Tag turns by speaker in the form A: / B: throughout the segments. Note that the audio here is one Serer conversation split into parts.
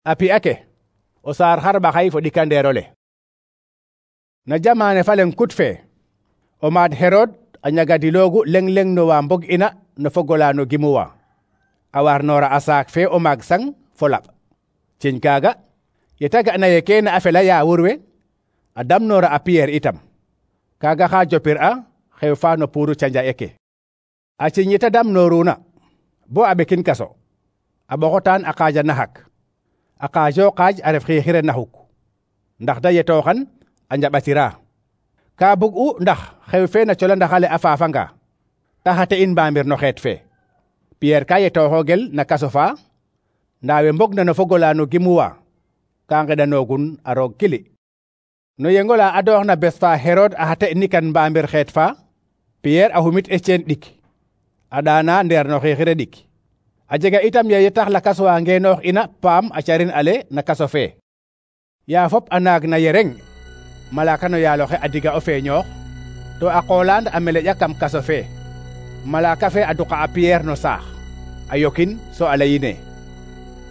A: A pi'a ke o saar xarɓaxay fo ɗikandeerole. Na jamane fa leŋ kut fe o maad Herod a ñagadiloogu leŋ no wa mbog ina no fogola no gimuwa a warnoora a saak fe o maag sang fo laɓ. Ciñ kaaga yeta ga'na ye kene a fela yaawur we a damnoora a Pierre itam. Kaaga xa jopir a xew fa no puuru canja'e ke. A ciñ yeta damnooruna bo a ɓekin kaso a ɓoxotaan a qaaja naxak. A qaajo qaaj a ref xiixire naxuk ndax da yetooxan a njaɓatira. Ka bug'u ndax xew fe na colandaxale a faafanga ta xate in mbamir no xeet fe. Pierre ka yetooxoogel na kaso fa ndaa we mbogna no fogola no gimuwa ka ngeɗanoogun a roog kili. No yengola a dooxna bes fa Herod a xate nikan mbamir xeet fa, Pierre a xumit Etienne ɗik a ɗaana ndeer no xiixire ɗik. A jega itam ye tax lakas wa ngeenoox ina paam a carin ale na kaso fe. Ya fop a naag na yereng malaka no yaaloxe a diga o feeñoox to a qoolaan a meleƴa kam kaso fe. Malaka fe a duqa a Pierre no saax a yokin so a layine: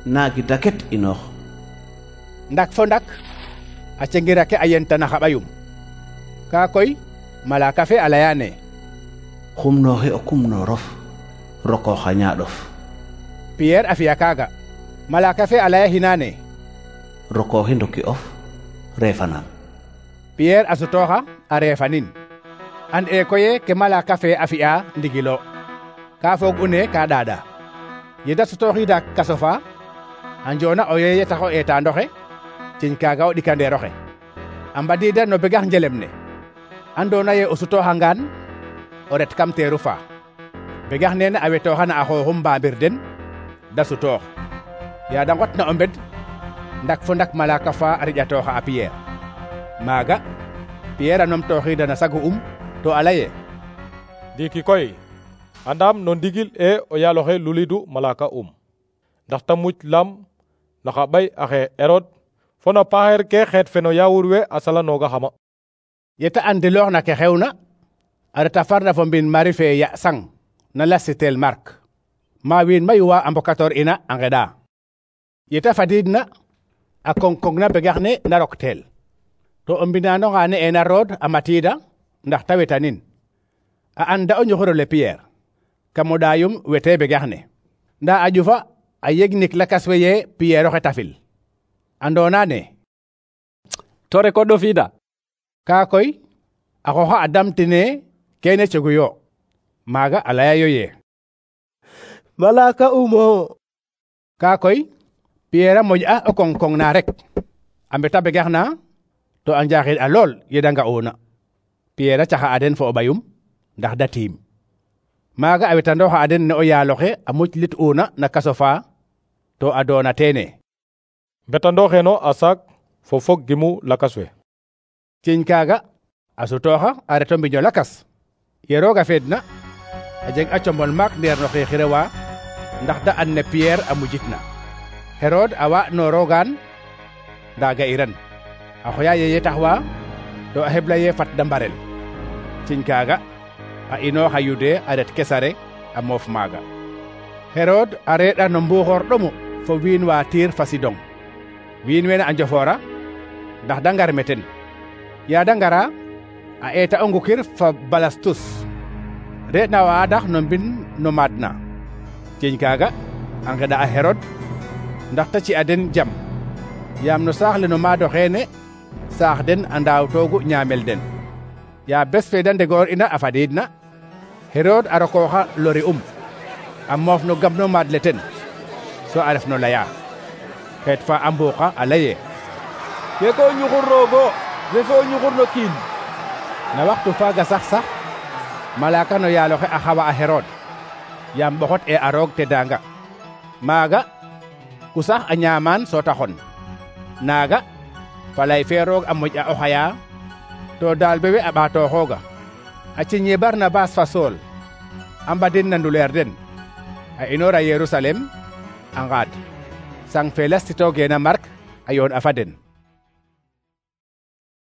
B: naagi daket inoox.
A: Ndak fo ndak a cengira ke a yentana xa ɓayum. Ka koy malaka fe a layane:
B: xumnooxi o kumnoorof rokoox a ñaaɗof.
A: Pierre a fi'a kaaga. Malaka fe a laya hinaane:
B: rokooxi ndoki of reefanaam.
A: Pierre a sutooxa a reefanin. An e koye ke malaka fe a fi'a ndigilo. Ka foog une ka ɗaaɗa. Yeda sutooxiida kaso fa a njoona o yeye tax o eetaandoxe ciñ kaaga o ɗikandeeroxe. A mbadiida no begax njelem ne andoona ye o sutooxangaan o ret kam teeru fa. Begax nene a wetooxana a xooxum mbamir den da sutoox. Ya da nqotna o mbed ndak fo ndak malaka fa a riƴatooxa a Pierre. Maaga Pierre a numtooxiida na sagu to a laye:
C: ndiiki koy andam no ndigil o yaaloxe lulidu malaka ndax ta muc lam na xa ɓay axe Herod fo na paaxeer ke xeet fe no yaawur we a salanooga xama.
A: Yeta andilooxna ke xewna a reta farna fo mbin mari fe ya sang na lasitel Mark ma wiin mayu wa a mbokatoor ina a ngeɗa. Yeta fadiidna a koŋ-koŋna begax ne na rokteel to o mbinaanonga ne'eena Rod a matiida ndax ta wetanin. A anda o ñuxurole Pierre kam o ɗaayum wetee begax ne. Ndaa a ƴufa a yegnik lakas we ye Pierre oxe tafil. Andoona ne
D: to rek o ɗofiida.
A: Kaa koy a xooxa a damtine kene cegu yo. Maaga a layayo ye
E: malaka umo.
A: Kaa koy Pierre a moƴ'a o koŋ-koŋ na rek a mbeta begax na to a njaaxid a lool yeda nga'una. Pierre a caxa a den fo o ɓayum ndax da tiim. Maaga a wetandooxa a den ne o yaaloxe a muclit'una na kaso fa to a doona teene.
C: Mbetandooxeeno a saak fo fog gimu lakas we.
A: Ciñ kaaga a sutooxa a reto mbiño lakas. Ye rooga feedna a jeg a combol maak ndeer no xiixire wa ndax da and ne Pierre a mujitna. Herod a waaɗnoorogaan ndaa ga'iran. A xoya yeye tax wa to a xebla ye fat da mbarel. Ciñ kaaga a inooxa Yude a ret Kesare a moof maaga. Herod a reeɗa no mbuuxoor ɗomu fo wiin wa Tiir fa Sidon. Wiin wene a njofoora ndax da ngar meten. Ya da ngara a eeta o ngukir fa Balastus reeɗna wa adax no mbin no maadna. Ciñ kaaga a ngeɗa a Herod ndax ta ci'a den jam yaam no saax le no maado xeene saax den a ndaawtoogu ñaamel den. Ya bes fe da ndegoor ina a fadiidna Herod a rokooxa lori a moof no gam no maad le ten so a ref no laya. Xeet fa a mbuuqa a laye:
E: keke o ñuxur roogo refe o ñuxur no kiin.
A: Na waxtu faaga sax malaka no yaaloxe a xawa a Herod yaam ɓoxot e a roog teddaanga. Maaga ku sax a ñaamaan so ta xon. Naaga falay fe roog a moƴ'a o xaya to daal bewe a ɓaatooxooga. A ciñ ye Barnabas fa Sool a mbadin na nduleer den a inoora Yerusalem a ngaad sang fe lastitoogeena Mark a yoon a fa den.